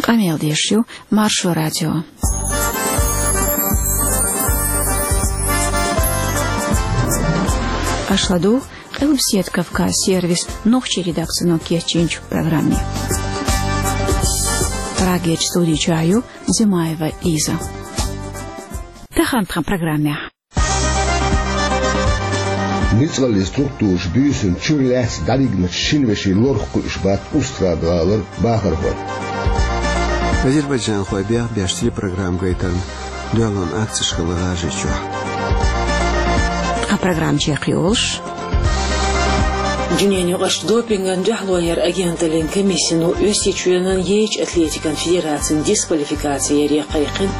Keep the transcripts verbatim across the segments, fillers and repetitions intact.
Къамел деш ю Маршо радио. Аша ладугӀу Къилбаседа Кавказ сервисан нохчийн редакцино кечйинчу программе. Прагерчу студи чохь ю Зимаева Лиза. Тахана тхан программехь. Ницкъаллин структураш буьйсанна чуьра лаьцна дӀавигначу шина вешин лорах кхуьуш бац Устрада-гӀалара бахархой. Азербайджанхой бехбеш телепрограмма гайтарна дуьхьалонан акцеш хилла ГӀажарийчохь. Тхан программа чекхйолуш: Дуьненаюкъарчу допингана дуьхьало яран агенталлин комиссино Оьрсийчоьнан яйчу атлетикан федерацин дисквалификаци яре кхайкхина.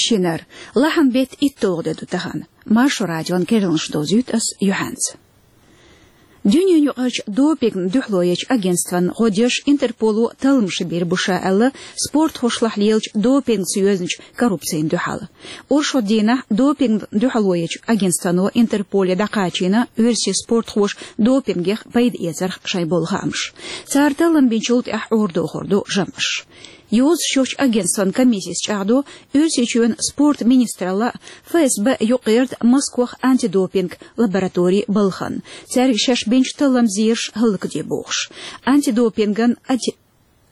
Шинара, лахьан беттан итталгӀа де ду тахана. Маршо радион керланаш довзуьйту ас юьхьанца. Дуьненаюкъарчу допингана дуьхьало ечу агентстван гӀо деш Интерполо талламаш бийр бу ша аьлла, спортхошлахь лелачу допингца йоьзначу коррупцина дуьхьал. Оршот дийнахь допингана дуьхьало ечу агентствано Интерполе дӀакхачийна оьрсийн спортхоша допингех пайда эцарх шайн болу хаамаш. Цара таллам бинчул тӀаьхьа Ӏорадохур ду жамӀаш. Йозуш йолчу агентстван комиссис чӀагӀдо, Оьрсийчоьнан спорт министралла, ФСБ юкъагӀерта Москох антидопинг лаборатори балхана, цаьрга шаьш бинчу талламан зераш хӀаллакде бохуш. Антидопинган ати-,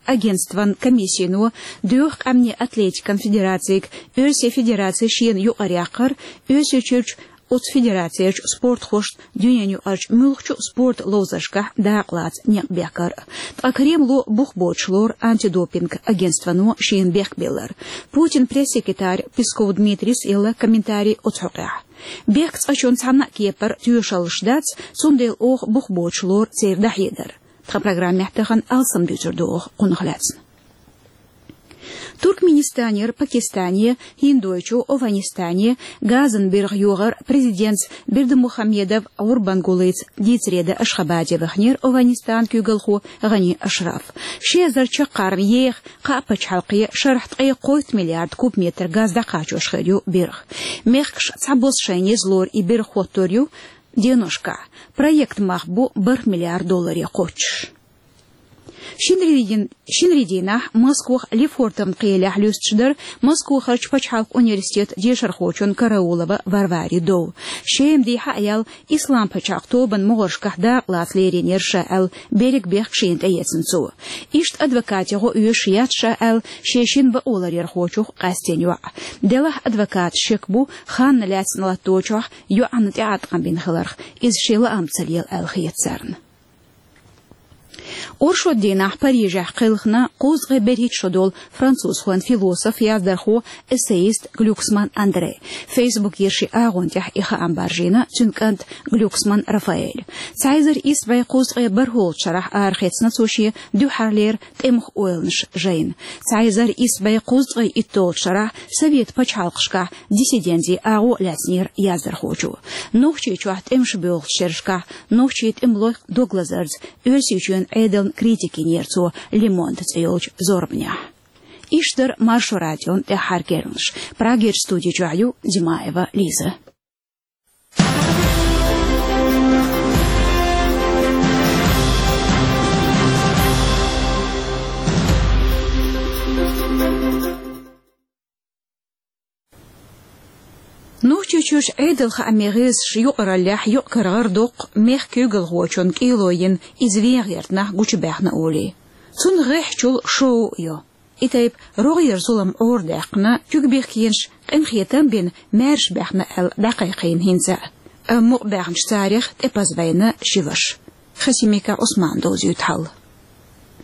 агентстван комиссино доьху къаьмнийн атлетикан федерацига Оьрсийн федераци шена юкъара яккхар, Оьрсийчуьрчу оцу федерацерчу спортхошна дуьненаюкъарчу муьлххачу спорт ловзаршкахь дакъалаца некъ бехкар. Ткъа Кремло бух боцуш лору антидопинг агентствано шена бехк биллар. Путинан пресс-секретарь Песков Дмитрийс елла комментарий оцу хьокъехь. Бехк цкъачунна цхьана а кепара тоьшаллаш дац, цундела оха бух боцуш лору церан дӀахьедар. Тхан программехь тахана алсам дуьйцур ду оха кхунах лаьцна. Туркменистанера Пакистане, ХӀиндойчу ОвхӀанистане газан биргӀа йогӀар президентца Бердымухамедов Гурбангулыца дийцаре дан Ашхабаде ваханера ОвхӀанистанан куьйгалхо ГӀани Ашраф. Ши эзар чаккхарма еха кхаа пачхьалкхе шарахь ткъе кхойтта миллиард кубометр газ дӀакхачош хир ю биргӀа. Мехкаша цхьабосса шайна еза лору и биргӀа хӀоттор ю деношкахь. Проектан мах бу бархӀ миллиард долларе кхоччуш. Шинарин, шинарин дийнахь Москох Лефортовн кхелехь луьстуш дара Москохарчу пачхьалкхан университетан дешархочун Караулова Варварин дов. Шеман дехьа а яьлла, Ислам пачхьалкх тобанан могӀаршкахь дакъалаца леринера ша аьлла, берриг бехк шена тӀеэцна цо. Иштта адвокатан гӀо оьшуш яц ша аьлла, шен шина бакъоларъярхочух къаьстина йоӀ. Делахь адвокаташна шек бу, ханна лаьцна латточохь йоӀана тӀеӀаткъам бина хиларх, иза шен лаам ца лела аьлла хета царна. Оршот дийнахь Парижехь кхелхина кхузткъе берхӀитта шо долу французхойн философ, яздархо, эссеист Глюксман Андре. Фейсбукера шен агӀон тӀехь и хаам баржийна цуьнан кӀанта Глюксман Рафаэля. Цхьа эзар исс бӀе кхузткъе бархӀолгӀачу шарахь арахецна цо шен дуьххьарлера тӀемах ойланаш жайна. Цхьа эзар исс бӀе кхузткъе итталгӀачу шарахь Совет пачхьалкхашкахь диссидентийн агӀо лаьцнера яздархочо. Нохчийчохь тӀемаш боьлхучу шерашкахь нохчийн тӀемалойх дог лазарца Оьрсийчоьнан Ӏедална критика йинера цо Le Monde цӀе йолчу зорбанехь. Иштта дара Маршо радион тӀаьххьара керланаш. Прагерчу студи чохь ю Димаева Лиза. Нохчийчуьрчу Ӏедалан хаамийн гӀирсаша юкъараллехь юкъ-кара гӀар доккху мехкан куьйгалхочун кӀело йина, иза вен гӀерта нах гучубаьхна олий. Цунна гӀеххьачул шоу а йо. И тайпа рогӀера зулам Ӏорадаьккхина, куьг бехкенаш къинхетам а бина, маьрша баьхна аьлла дӀакхайкхийна хӀинца а. Амма мукъабаьхначу царех тӀепаза вайна ши ваша. Хасимиков Ӏусмана довзуьйту хьал.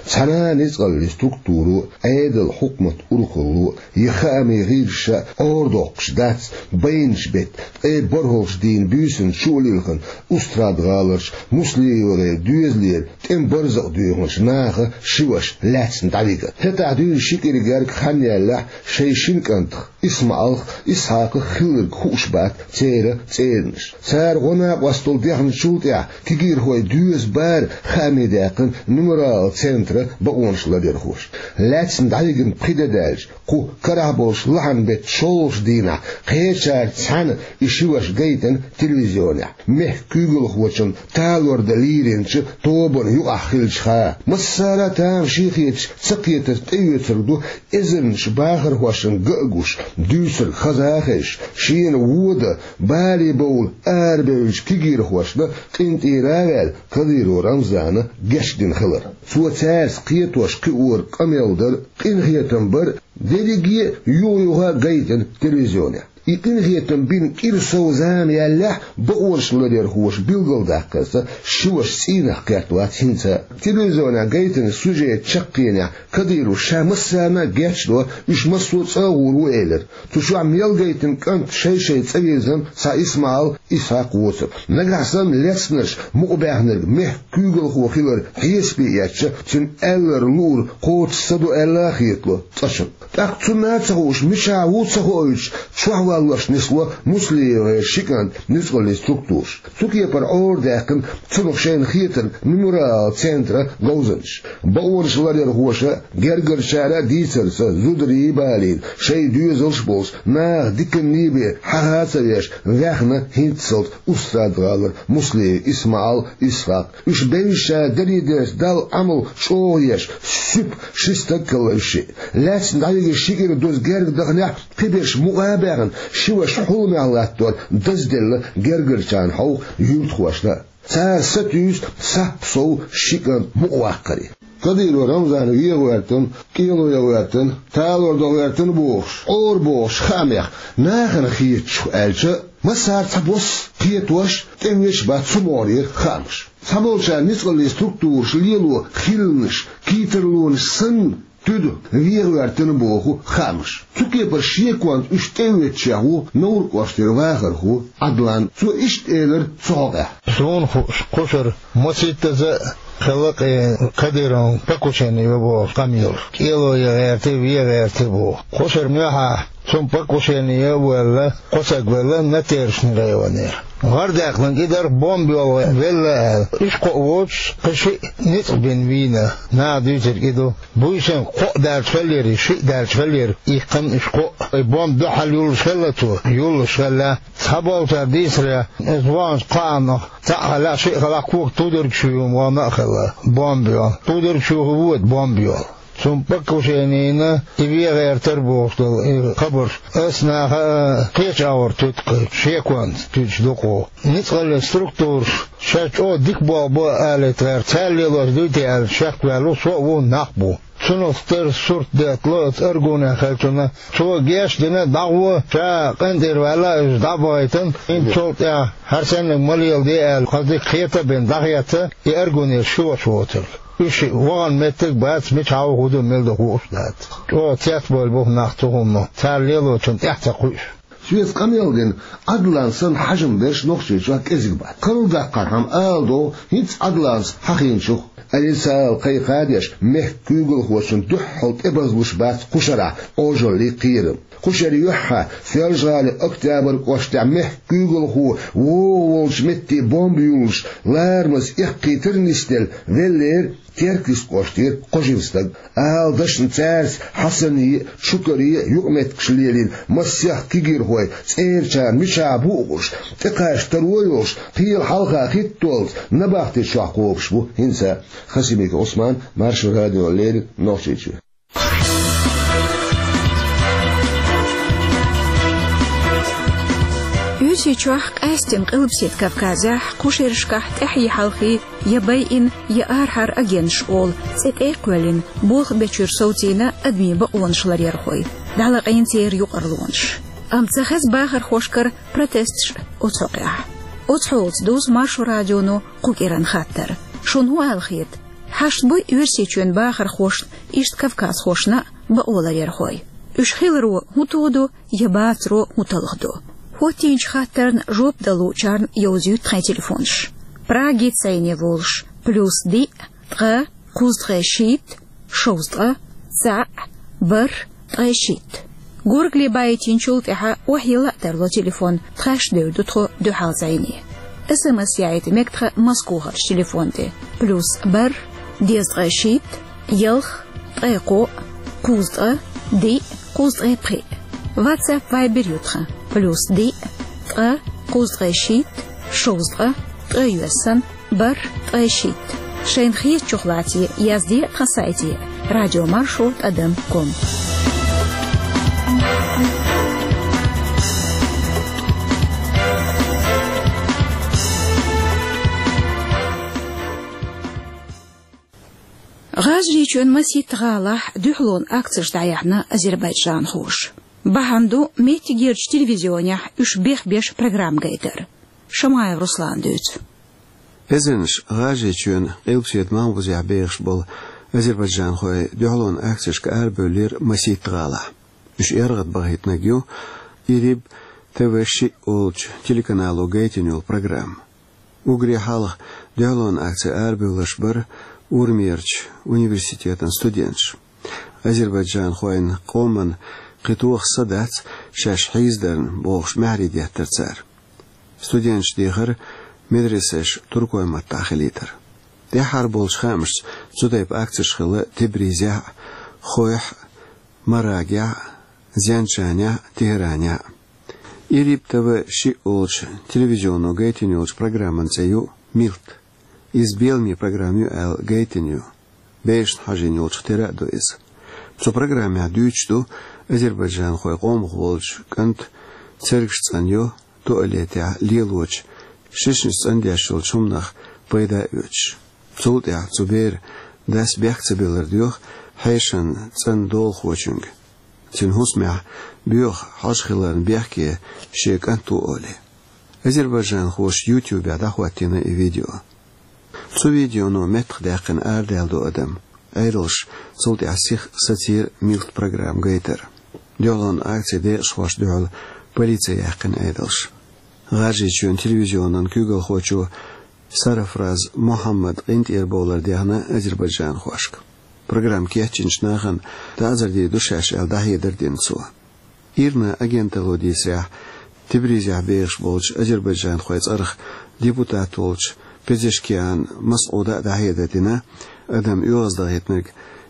Цхьана а ницкъаллин структуро, Ӏедалан хьукматан урхалло я хаамийн гӀирсаша Ӏорадоккхуш дац байначу беттан ткъе бархӀалгӀачу дийнан буьйсанна чу а лилхина Устрада-гӀаларчу МуслимовгӀеран доьзалера тӀеман барзакъ доьхначу наха ши ваша лаьцна дӀавигар. ХӀетахь дуьйна ши кӀира гергга хан яьллехь, шайн шина кӀантах ИсмаӀалах, Исхьакхах хилларг хууш бац церан цӀеранаш. Цара гӀо-накъостал дехначул тӀаьхьа кегийрхой доьза бара хаамий даьккхина «Мемориал» центра бакъонаш ларъярхоша. Лаьцна дӀавигна пхи де даьлча, кху карахь болчу лахьан-беттан шолгӀачу дийнахь кхечаьрца цхьаьна и ши ваша гайтина телевизионехь, мехкан куьйгалхочун талор дан лийринчу тобанна юкъахь хиллачух. Массара а тамашийна хеташ, ца кхетар тӀеоьцург ду эзарнаш бахархошна ган а гуш, дуьйцург хаза а хезаш, шена вон дан бале бовла арабевллачу кегийрхошна къинтӀера а ваьлла, Кадыров Рамзана гечдина хилар. Цо цаьрца кхетош-кхиоран къамел дар, къинхетам бар, дерриге а юха-юха гайтина телевизионехь. И къинхетам бина кӀира сов зама яьллехь, бакъонаш ларъярхоша билгалдаккхарца, ши ваша цӀийнах кхетта вац хӀинца а. Телевизионехь гайтина сюжет чаккхенехь Кадыровс ша массарна а гечдо, уьш массо а цӀа а гӀур ву элира. Цу чохь мел гайтина кӀант шай-шай цӀа вирзина, цхьа ИсмаӀал, Исхьакх воцург. Нагахь санна лецнарш мукъабаьхнарг мехкан куьйгалхо хилар хьесапе эцча, цуьнан аьлларг луург кхочуш ца ду аьлла а хетало цкъачунна. ТӀаккха цунна а ца хууш, мичахь ву ца хоуьйтуш, чохь валлош нисло МуслиевгӀеран ши кӀант ницкъаллин структураша. Цу кепара Ӏорадаьккхина цунах шайна хетарг «Мемориал» центран говзанчаш. Бакъонаш ларъярхоша а, гергарчара а дийцарца, зударий а балийна, шайн доьзалш а болуш, наха диканний бен хьаха а ца веш, ваьхна хӀинццалц Устрада-гӀалара Муслиев ИсмаӀал, Исхьакх. Уьш бевзачара дарий дерш Далла Ӏамал чӀогӀа еш, суьпа ши стаг хилла уьш шиъ. Лаьцна дӀавигира ши кӀира дуза герга даханехь, кхиберш мукъа а баьхна, ши ваша хьуламехь латтор дазделла гергарчарна хьовха юьртахошна а. Цара сатуьйсу саппа сов ши кӀант мукъаваккхаре. Кадыров Рамзан вен гӀоьртина, кӀело ян гӀоьртина, талор дан гӀоьртина бохуш, Ӏора бохуш хаамех, нахана хетачух аьлча, массара цхьабосса кхетош, тӀевеъча бац цу могӀарера хаамаш. Цхьаболчара ницкъаллин структураша лело хиланаш, кхетарлонаш санна, туьду вен гӀоьртина боху хаамаш. Цу кепара шеконца уьш тӀеоьцучех ву Невран кӀоштара вахархо Ӏадлан. Цо иштта элира цу хьокъехь: «Суна хууш, кхушара масийттаза а хилла кхин Кадыровн покушение йо бохуш къамелаш. КӀело ян гӀерта, вен гӀерта боху. Кхушара муьхьа цунна покушение ян а ваьлла, кхо стаг велла Натершни районера. ГӀар даьккхинарг и дара, бомба йолла велла аьлла. Уьш кхоъ воцуш, кхин шиъ ницкъ бина вийна, наха дуьйцург и ду. Буьйсанна кхоъ даьлча хиллера, шиъ даьлча хиллера, иккхина уьш кхоъ. И бомба дуьхьал юллуш хилла цо, юллуш хилла. Цхьаболчара дийцарехь, иза ваханчу кхааннах цхьаъ хилла, шиъ хилла, коган тударгаш юйла вахана а хилла бомба йолла. Тударгаш юйла воьду бомба йолла. Цунна покушение йина, и вен гӀертара бохуш долу и хабарш ас наха а кхечу агӀор туьду кхин, шеконца туьдуш ду-кх. Ницкъаллин структураш шаьш чӀогӀа дика болх бо алийта гӀерта, цара лелош дуй те аьлла, шек ваьлла со а ву, нах а бу. Цунах тера сурт деттало оцу Аргунехь хиллачунна. Цо гечдина, дӀагӀо, ша къинтӀера ваьлла, иза дӀа а бахийтина, хӀинццул тӀаьхьа хӀара саннарг ма леладе аьлла, кхин дика хета а бина, дӀахецна и Аргунера ши ваша воцург. Уьш вахана меттиг а бац, мичахь ву, хӀун ду, мила ду хууш а дац. ЧӀогӀа цецбевлла бу-кх нах цу хӀуманах, цара лелочунна тӀаьхьа ца кхуьуш». Соьца къамел дина Ӏадлан санна хьажам берш Нохчийчохь кӀезиг бац. Карладаккхархьама ала догӀу хӀинца Ӏадланца хьахийначух. Алиса ала кхайкха а деш, мехкан куьйгалхочунна дуьххьал тӀебазлуш бац кхушарахь Ӏожаллий кхерам. Кхушара юьххьехь, Соьлжа-ГӀалин Октябрь кӀоштехь мехкан куьйгалхо вогӀу волчу метте бомба юллуш, ларамаза эккхийтар а нисделла, веллера Теркйист кӀоштера кхо жима стаг. Ала дашна цаьрца Хьасане а, Чукаре а юкъаметтигаш лелийна масех кегийрхой, цӀерачарна мичахь бу уьш, тӀекхача таро йолуш, кхела хьалха хӀиттоллаца набахти чохь кхобуш бу хӀинца а. Хасимиков Ӏусман, Маршо радиона леррина, Нохчийчоь. Оьрсийчохь, къаьсттина Къилбаседа Кавказехь, кхушаршкахь тӀаьхье хьалхе я байина, я арахьара агенташ олу цӀе тӀе а кхоьллина, болх бечуьра совцийна адамийн бакъонаш ларъярхой, дӀалаьцна церан юкъарлонаш. Амма ца хеза бахархошкара протесташ оцу хьокъехь. Оцу хьолаца дузу Маршо радионо кху кӀиран хаттар. Шуна хӀун аьлла хета? Хьашт буй Оьрсийчоьнан бахархошна, иштта кавказхошна а бакъо ларъярхой? Уьш хиларо хӀун тоду, я бацаро хӀун талхадо? ХӀоттийначу хаттарна жоп дала луучарна йовзуьйту тхайн телефонаш. Прагица цӀарна волуш: плюс диъ, ткъа, кхузткъе шийтта, шовзткъа, цхьаъ, бархӀ, ткъе шийтта. Горгали баийтинчул тӀаьхьа охьайилла а тарлу телефон, тхаьш девр ду тхо дуьхьал зӀене. СМС яйта мег тха Москвахарчу телефон тӀе: плюс бархӀ, дезткъа шийтта, ялх, ткъе кхоъ, кхузткъа, диъ, кхузткъе пхиъ. WhatsApp, Viber ю тхан: плюс диъ, ткъа, кхузткъе шийтта, шовзткъа, ткъе йоьссан, бархӀ, ткъе шийтта. Шайна хетачух лаций, язде а тхан сайте: радиомаршо тӀадам ком. ГӀажарийчоьнан масийтта гӀалахь дуьхьалонан акцеш дӀаяьхьна азербайджанхоша. Бахьана ду меттигерчу телевизионехь уьш бехбеш программа гайтар. Шамаев Руслана дуьйцу. Эзарнаш ГӀажарийчоьнан Къилбаседа Малхбузехь бехаш болу азербайджанхой дуьхьалонан акцешка арабевллера масийтта гӀалахь. Уьш эргӀад бахийтинарг ю Ириб ТВ шиъ олучу телеканало гайтина йолу программа. Уггаре хьалха дуьхьалонан акце арабевлларш бара Урмиерчу университетан студенташ. Азербайджанхойн къоман кхин тоха са дац шаьш хьийзадарна бохуш маьхьарий деттара цара. Студенташа дехара медресеш туркойн маттахь хилийтар. ТӀаьххьара болчу хаамашца цу тайпа акцеш хилла Тебризехь а, Хойхь а, Марагехь а, Зенджанехь а, Тегеранехь а. Ириб ТВ шиъ олучу телевизионо гайтина йолчу программан цӀе ю «Милт». Иза беламе программа ю аьлла гайтина ю. Бешна хьажийна йолчух тера а ду иза. Цу программехь дуьйцуш ду азербайджанхойн къомах волчу кӀанта цергаш цӀанйо, туалетехь лелочу шишнаш цӀандеш йолчу хӀуманах пайда а оьцуш. Цул тӀаьхьа цу беран дас бехк ца биллар доьху хьешан цӀанна долахочуьнга. Цуьнан хӀусамехь боьха хьожа хиларна бехке шен кӀант ву олий. Азербайджанхоша YouTube-ехь дӀахӀоттийна и видео. Цу видеоно меттахдаьккхина арадаьлла ду адам. Ӏедалша цул тӀаьхьа сиха сацийра «Милт» программа гайтар. Дуьхьалонан акцин декъашхошна дуьхьал полици яьккхина Ӏедалша. ГӀажарийчоьнан телевизионан куьйгалхочо Сарафраз Мухьаммада къинтӀера бовлар дехна азербайджанхошка. Программа кечйинчу нахана таӀзар дийр ду шаьш аьлла дӀахьедар дина цо. ИРНА агенталло дийцарехь, Тебризехь бехаш болчу азербайджанхойн цӀарах депутат волчу Пезешкиан Масъуда а дӀахьедар дина, адам оьгӀаздахийтинарг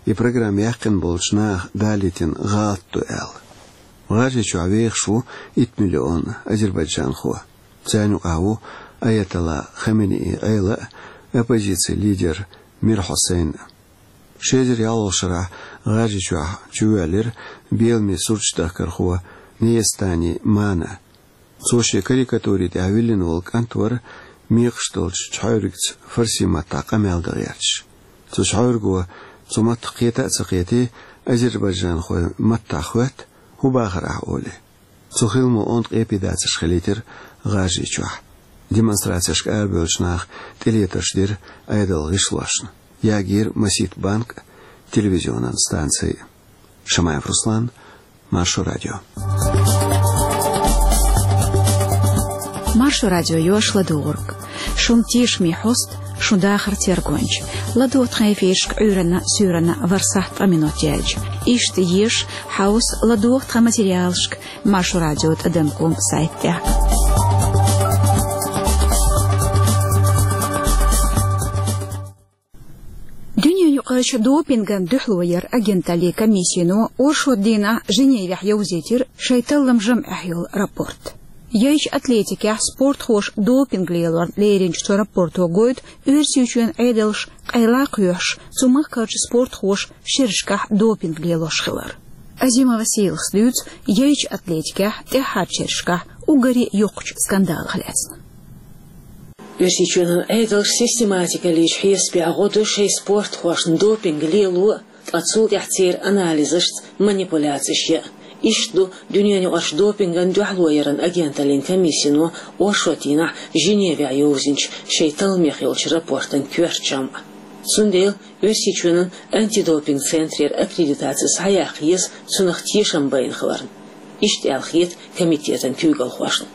и программа яьккхина болчу наха далийтина гӀалат ду аьлла. ГӀажарийчохь вехаш ву итт миллион азербайджанхо. Царна юкъахь ву Аятолла Хаменеи Ӏела а, оппозицин лидер Мир Хьусайн а. Ши эзар ялхолгӀачу шарахь ГӀажарийчохь чувоьллира беламе сурташ дахкархо Неестани Мана. Цо шен карикатури тӀехь виллина волу кӀант вара мекхаш долчу чхьаьвригца фарси маттахь къамел дан гӀерташ. Цу чхьаьвриго цу маттах кхета а ца кхетий, азербайджанхойн маттахь хоьтту: «ХӀун бахара ахь?» — олий. Цу хиламо онда къепе дацарш хилийтира ГӀажарийчохь. Демонстрацешка арабевллачу наха тӀелетарш дира Ӏедалан гӀишлошна. Ягийра масийтта банк а, телевизионан станци а. Шамаев Руслан, Маршо радио. Маршо радио йош ладугӀург. Шун тешаме хьост, шун дахар тергонча. ЛадогӀа тхан эфиршка Ӏуьйранна, суьйранна ворхӀ сахьт ткъа минот яьлча. Иштта еша, хьовса, ладогӀа тхан материалшка Маршо радио тӀадам ком сайт тӀехь. Дуьненаюкъарчу допинган дуьхьало яран агенталлин комиссино оршот дийнахь Женевехь йовзийтира шайн таллам жамӀехь йолу рапорт. Яйчу атлетикехь спортхоша допинг лелорна леринчу цу рапорто гойту Оьрсийчоьнан Ӏедалш къайла а кхоьхьуш, цу махкарчу спортхоша шерашкахь допинг лелош хилар. Азимова Сийлахас дуьйцу яйчу атлетикехь тӀаьххьарчу шерашкахь уггаре йоккхачу скандалах лаьцна. Оьрсийчоьнан Ӏедалш систематикалличу хьесапехь гӀо до шайн спортхошна допинг лело а, ткъа цул тӀаьхьа церан анализашца манипуляцеш ян а. Иштта ду Дуьненаюкъарчу допинган дуьхьало яран агенталлин комиссино оршот дийнахь Женевехь йовзинчу шайн талламех йолчу рапортан коьрта жамӀ. Цундела Оьрсийчоьнан антидопинг центрера аккредитаци схьаяккха еза цунах тешам байна хиларна. Иштта аьлла хета комитетан куьйгалхошна.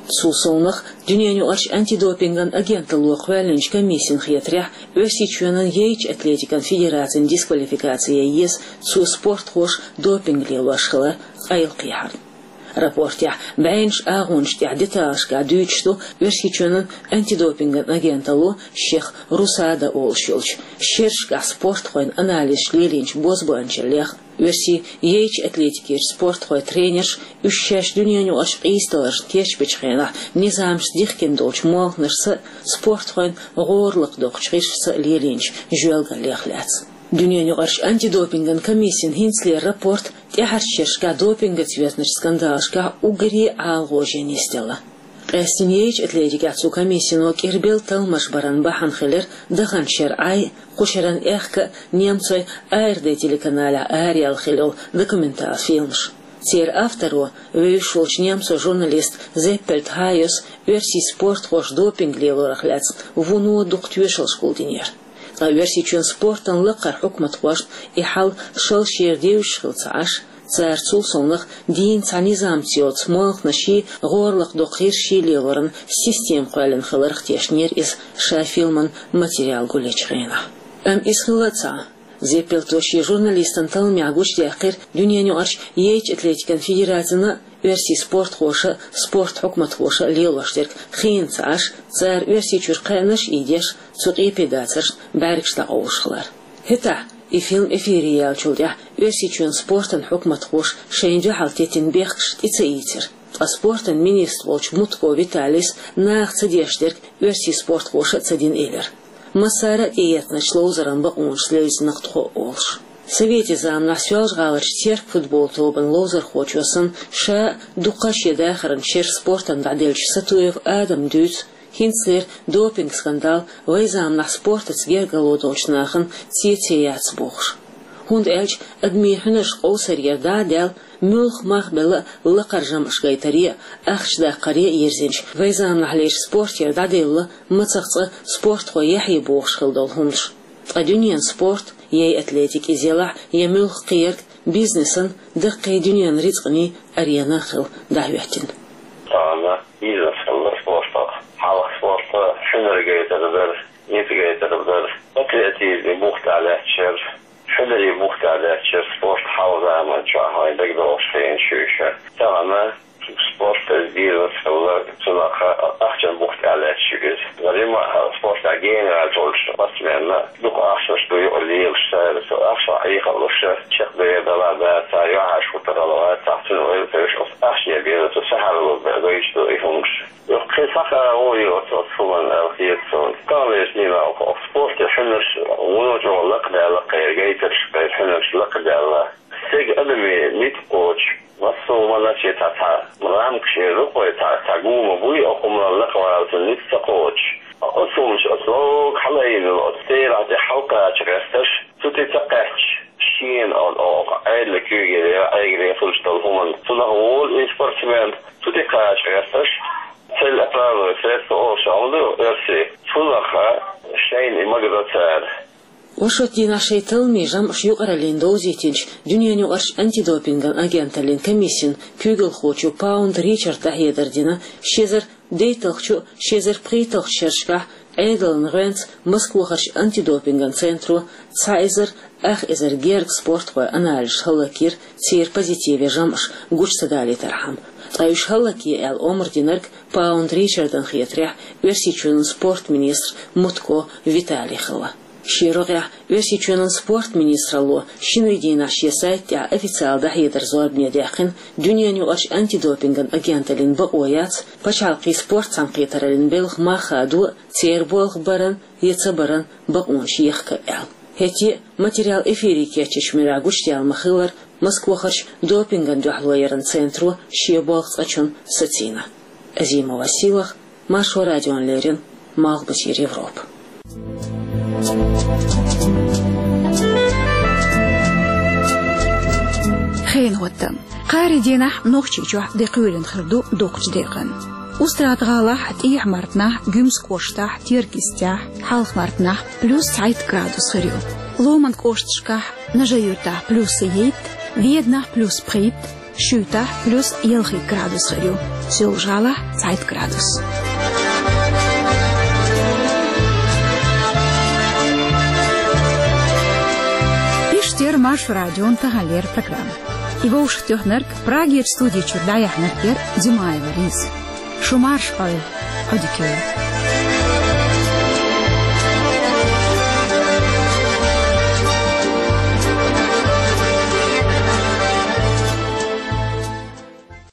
Цул совнагӀа, Дуьненаюкъарчу антидопинган агенталло кхоьллинчу комиссин хетарехь, Оьрсийчоьнан яйчу атлетикан федерацин дисквалификаци ян еза, цо спортхоша допинг лелош хилар къайлакхехьарна. Рапортехь бӀеннаш агӀонаш тӀехь деталашкахь дуьйцуш ду Оьрсийчоьнан антидопинган агенталло, шех РУСАДА олуш йолчу, шерашкахь спортхойн анализаш лелийначу бозбуанчаллех, оьрсийн яйчу атлетикерчу спортхойн тренерша уьш шаьш дуьненаюкъарчу къийсадаларшна кечбечу хенахь низамашца дихкина долчу молханашца а, спортхойн гӀора лакхадоккхучу гӀирсашца а лелийначу жоьлгаллех лаьцна. Дуьненаюкъарчу антидопинган комиссин хӀинцалера рапорт тӀаьхьарчу шерашкахь допингаца йоьзначу скандалашкахь уггаре а ГӀалгӀоженна нисделла. Къаьстина яйчу атлетикехь цу комиссино кӀирбелла талламаш баран бахьана хилира даханчу шеран Ӏай, кху шеран аьхка а немцойн АРД телеканалехь араяьлла хилла йолу документал фильмаш. Церан авторо, вевзаш волчу немцойн журналист Зеппельт Хайос оьрсийн спортхоша допинг лелорах лаьцна вуно дукха тоьшаллаш гулдинера. Ткъа Оьрсийчоьнан спортан лакхара хьукматхошна и хьал шал шера девзаш хилла ца Ӏаш, цара цул совнагӀа дийна цхьа низамца йоцу молханашший, гӀора лакхадоккху гӀирсашший лелоран система кхоьллина хиларх тешнера иза, ша фильман материал гулъечу хенахь. Амма иза хилла а ца Ӏа. Зеппельто шен журналистан талламехь гучудаьккхира дуьненаюкъарчу яйчу атлетикан федерацина а, оьрсийн спортхоша а, спорт хьукматхоша а лелош дерг хиъна ца Ӏаш, цара Оьрсийчуьра кхаьънаш а ийдеш, цу къепе дацаршна бӀаьргаш дӀакъовлуш хилар. ХӀетахь, и фильм эфире яьллачул тӀаьхьа Оьрсийчоьнан спортан хьукматхоша шайна дуьхьал теттина бехкаш тӀе ца ийцира. Ткъа спортан министр волчу Мутко Виталис наха ца деш дерг оьрсийн спортхоша а ца дина элира. Массара а тӀеэцначу ловзаран бакъонашца левзинарг тхо а олуш. Советийн заманахь Соьлжа-ГӀаларчу Терк футбол тобанан ловзархочо санна, ша а дуккха а шен дахаран шераш спортана дӀаделлачу Сатуев Адама дуьйцу, хӀинцалера допинг-скандал вайн заманахь спортаца гергарло долчу нахана цецъян яц бохуш. ХӀунда аьлча адамийн хьуьнарш къовсарера дӀа а даьлла, муьлхха мах а белла, лакхара жамӀаш гайтаре а, ахча даккхаре а йирзинчу вайн заманахьлерчу спортера дӀаделла мацах цкъа спортхой яхье бохуш хилла долу хӀуманаш. Ткъа дуьненан спорт, я атлетика иза елахь, я муьлхха кхин ерг, бизнесан, даккхий дуьненан рицкъанийн арена а хилла дӀахӀоьттина. Тахана бизнес хилла спортах. Хьалха спорт хьуьнар гайтар дара, ницкъ гайтар дара, патриотизман бух тӀехь лаьтташ яра, хьуьнарийн бух тӀехь лаьтташ яра спорт хьалха заманчохь, вайн дагадогӀуш хенаш ю уьш. Тахана спорт иза бизнес хилла, цунах ахчан бух тӀехь лаьтташ ю иза. Римма спортехь гена гӀерташ волчу спортсменна дукха ахчанаш ду юкъа лелаш, цара цу ахчанах Ӏехалуш, чекхдер далахь а, цара юьхьӀаьржа хӀуттур хилла вац, цхьаъ цуьнан ойла ца йеш, оцу ахчане беза, цу сахьаралла бен гойтуш ду и хӀуманаш. Кхин схьа хаа гӀо ю оцу, оцу хӀуманна аьлла хета суна. Таханлерчу дийнахь оцу спортан хьуьнарш вуно чӀогӀа лакхадаьлла, кхеран гайтарш, кхеран хьуьнарш лакхадаьлла. Стеган адамийн ницкъ кхочу, массо а хӀуманаш а цхьа, цхьа рамкаш эр ду-кх вай, цхьа, цхьа гума буй, оцу хӀуманна лакхавала цуьнан ницкъ ца кхочуш. Оцу хӀуманаш, оцу лога хьалаайина йолу оцу терахь тӀе хьалакхача гӀерташ, цу тӀе ца кхаьчча, шена оцу, оцу Ӏедалан куьйгера, Ӏегане хуьлуш долу хӀуманна, цунах волу и спортсмен, цу тӀе кхача гӀерташ, цель оправдывает средства олуш хӀума ду оьрсийн. Цунах шайна и магадо цара. Оршот дийнахь шайн талламийн жамӀаш юкъараллина довзийтинчу Дуьненаюкъарчу антидопинган агенталлин комиссин куьйгалхочо Паунд Ричарда дӀахьедар дина, ши эзар дейтталгӀачу, ши эзар пхийтталгӀачу шерашкахь Ӏедалан гӀоьнца Москвахарчу антидопинган центро цхьа эзар ах эзар гергга спортхойн анализаш хӀаллакйира, церан позитиве жамӀаш гучу ца далийтархьама. Ткъа уьш хӀаллакъе аьлла омра динарг, Паунд Ричардан хетарехь, Оьрсийчоьнан спорт министр Мутко Виталий хилла. Шен рогӀехь Оьрсийчоьнан спорт министралло шинарин дийнахь шен сайта тӀехь официалан дӀахьедар зорбане даьккхина, Дуьненаюкъарчу антидопинган агенталлин бакъо яц пачхьалкхийн спорт цхьаьнакхетараллин белхан мах хадо а, церан болх баран я ца баран бакъонаш ехка а аьлла. ХӀетте а материал эфире кечъечу муьрехь гучудаьлла ма-хиллара, Москвахарчу допингана дуьхьало яран центро шен болх цкъачунна сацийна. Азимова Силах, Маршо радиона леррина, Малхбузера Европа. Хенан хӀоттам. Кхаарин дийнахь Нохчийчохь де кхоьлина хир ду доккхачу декъана. Устрада-ГӀалахь, ТӀехьа-Мартанахь, Гуьмсан кӀоштахь, Теркйистехь, Хьалха-Мартанахь плюс цхьайтта градус хир ю. Ломан кӀошташкахь, Нажи-Юьртахь плюс итт, Веданахь плюс пхийтта, Шуьйтахь плюс ялхитта градус хир ю, Соьлжа-ГӀалахь цхьайтта градус. Иштта яра Маршо радион таханлера программа. И вовшахтоьхнарг, Прагерчу студи чуьра дӀаяьхьнарг яра Димаева Лиза. Шу марша Ӏойла, Ӏодика йойла.